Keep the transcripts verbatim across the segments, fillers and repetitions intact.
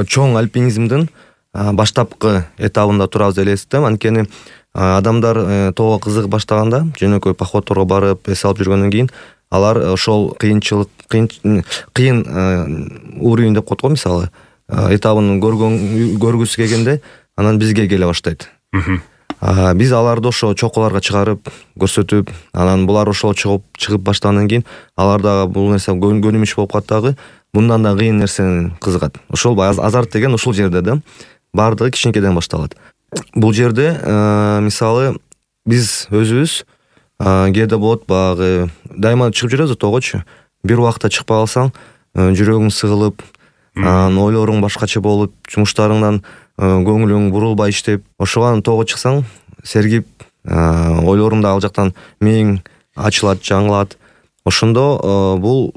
чоң альпинизмдин баштапкы этабында турабыз деп элестем. Анткени адамдар тоого кызыгып баштаганда, жөнөкөй походторго барып эс алып жүргөндөн кийин алар ошол кыйынчылык кыйын кыйын уровень деп коет го, мисалы этабын көргөн көргүсү келгенде анан бизге келе баштайт. Биз аларды ошо чокуларга чыгарып көрсөтүп, анан булар ошол чыгып чыгып баштагандан кийин алар дагы бул нерсе көнүмүш болуп калат дагы, мындан да кыйын нерсени кызыгат. Ошол азарт деген ушул жерде да. Бардыгы кичинекейден башталат. Бул жерде мисалы биз өзүбүз кээде болот, баягы дайыма чыгып жүрөбүз тоогочу. Бир убакта чыкпай калсаң, жүрөгүң сыгылып, ойлоруң башкача болуп, жумуштарыңдан көңүлүң бурулбай иштеп, ошого тоого чыксаң, сергип, ойлоруң да ал жактан мээң ачылат, жаңылат. Ошондо бул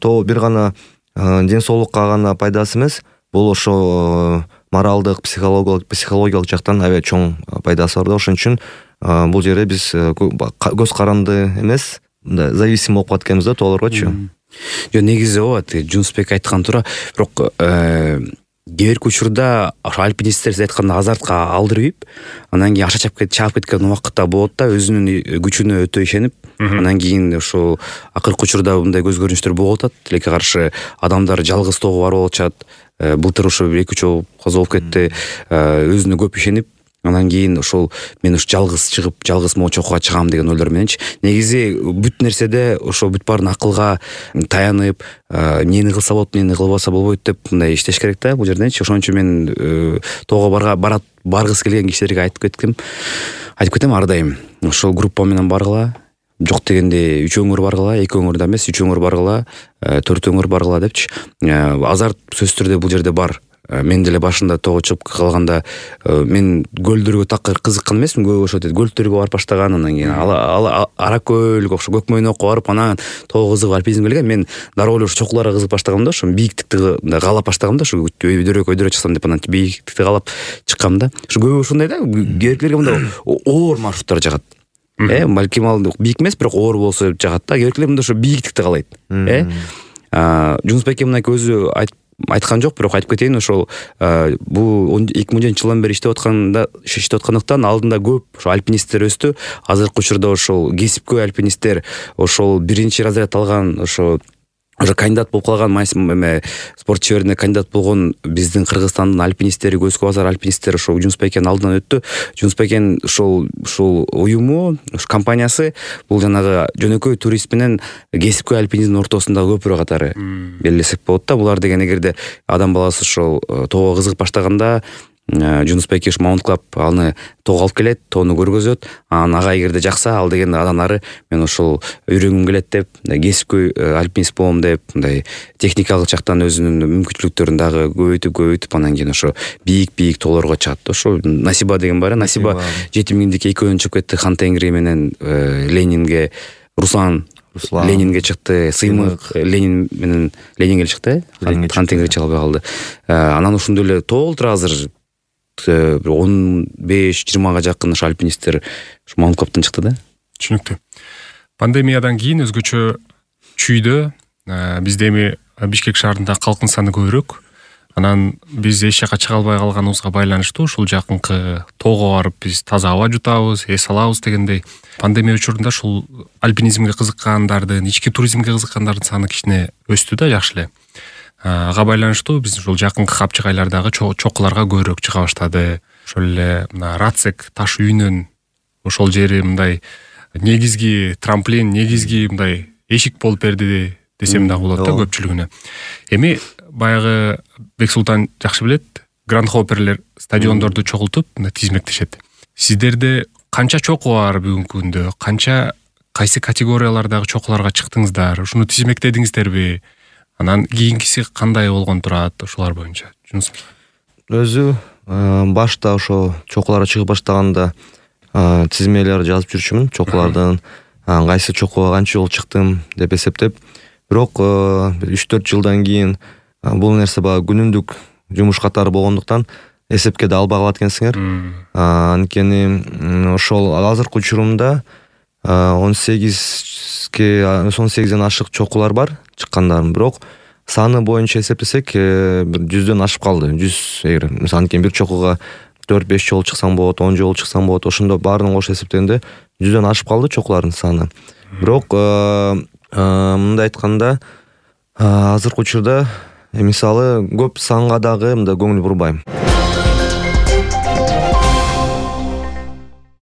тоо бир гана ден соолукка гана пайдасы эмес, бул ошо моралдык, психологиялык, психологиялык жактан аябай чоң пайдасы бар да. Ошон үчүн бул жерде биз көз каранды эмес, мындай зависим болуп калат экенбиз да тоолоргочу. Жо негизи ооба, Жунусбек айткан туура, бирок кээ бир учурда ошо альпинисттер сиз айткандай азартка алдырбайып, анан кийин аша чаап чаап кеткен убакытта болот да, өзүнүн күчүнө өтө ишенип, анан кийин ошо акыркы учурда мындай көз көрүнүштөр болуп атат. Тилекке каршы адамдар жалгыз тоого барып алышат. Былтыр ошо бир эки үч жолу каза болуп кетти. Өзүнө көп ишенип, анан кийин ошол мен ушу жалгыз чыгып, жалгыз могу чокуга чыгам деген ойлор мененчи. Негизи бүт нерседе ошо бүт баарын акылга таянып, эмнени кылса болот, эмнени кылбаса болбойт деп мындай иштеш керек да бул жерденчи. Ошон үчүн мен тоого барга барат баргысы келген кишилерге айтып кеткем. Айтып кетем ар дайым. Ошол группа менен баргыла. Жок дегенде үч өңүр баргыла, эки өңүр да эмес, үч өңүр баргыла, төрт өңүр баргыла депчи. Азарт сөзсүз түрдө бул жерде бар. Мен деле башында тоого чыгып калганда мен көлдөргө такыр кызыккан эмесмин, көбү ошо дейт көлдөргө барып баштаган, анан кийин ара көлгө, ошо көк мөйнөккө барып анан тоого кызыгып альпинизмге келген. Мен дароо эле ошо чокуларга кызыгып баштагам да, ошо бийиктикти каалап баштагам да, ошо өйдөрөк өйдөрө чыксам деп анан бийиктикти каалап чыккам да. Ошо көбү ушундай да, кээ мындай оор маршруттар жагат. Э, балким ал бийик эмес, бирок оор болсо жагат да. Кээ биркилер мындай ошо бийиктикти каалайт. Э, Жунусбек мындай өзү айткан жок, бирок айтып кетейин, ошол бул эки миң он жетинчи жылдан бери иштеп атканда, иштеп аткандыктан алдында көп ошо альпинисттер өстү. Азыркы учурда ошол кесипкөй альпинисттер, ошол биринчи разряд алган, ошо уже кандидат болуп калган, эме спорт чеберине кандидат болгон биздин Кыргызстандын альпинисттери, Көз Базар альпинисттери ошо Жунусбекенин алдынан өттү. Жунусбекен ошол ушул уюму, ушу компаниясы бул жанагы жөнөкөй турист менен кесипкөй альпинизмдин ортосундагы көпүрө катары белгилесек болот да. Булар деген эгерде адам баласы ошол тоого кызыгып баштаганда, Жунусбек ушу Маунт Клаб аны тоого алып келет, тоону көргөзөт. Анан ага эгерде жакса, ал деген андан ары мен ошол үйрөнгүм келет деп, кесипкөй альпинист болом деп, мындай техникалык жактан өзүнүн мүмкүнчүлүктөрүн дагы көбөйтүп көбөйтүп анан кийин ошо бийик-бийик тоолорго чыгат. Ошо Насиба деген бар. Насиба жети миңдик экөөнү чыгып кетти Хан Тенгри менен Ленинге. Руслан Ленинге чыкты, Сыймык Ленин менен Ленинге чыкты. Хан Тенгри чыга албай калды. Анан ошондой эле толтура азыр он беш жыйырмага жакын ошо альпинисттер ушу Маунт Клабтан чыкты да. Түшүнүктүү. Пандемиядан кийин өзгөчө чүйдө бизде эми Бишкек шаарында калктын саны көбүрөөк. Анан биз эч жака чыга албай калганыбызга байланыштуу ушул жакынкы тоого барып биз таза аба жутабыз, эс алабыз дегендей. Пандемия учурунда ушул альпинизмге кызыккандардын, ички туризмге кызыккандардын саны кичине өстү да, жакшы эле. Ага байланыштуу биз ушул жакынкы капчык айлардагы чокуларга көбүрөөк чыга баштады. Ошол эле мына Рацек таш үйүнүн ошол жери мындай негизги трамплин, негизги мындай эшик болуп берди десем дагы болот да көпчүлүгүнө. Эми баягы Бексултан жакшы билет, гранд хопперлер стадиондорду чогултуп тизмектешет. Сиздерде канча чоку бар бүгүнкү күндө? Канча кайсы категориялардагы чокуларга чыктыңыздар? Ушуну тизмектедиңиздерби? Анан кийинкиси кандай болгон турат ушулар боюнча? Жунусбек өзү башта ошо чокуларга чыгып баштаганда тизмелер жазып жүрчүмүн, чокулардын кайсы чокуга канча жолу чыктым деп эсептеп. Бирок үч төрт жылдан кийин бул нерсе баягы күнүмдүк жумуш катары болгондуктан эсепке да албай калат экенсиңер. Анткени ошол азыркы учурумда он сегизге он сегизден ашык чокулар бар чыккандарым, бирок саны боюнча эсептесек бир жүздөн ашып калды. жүз эгер мисалы анткени бир чокуга төрт беш жолу чыксаң болот, он жолу чыксаң болот, ошондо баарынын кошуп эсептегенде жүздөн ашып калды чокулардын саны. Бирок мындай айтканда азыркы учурда мисалы көп санга дагы мындай көңүл бурбайм.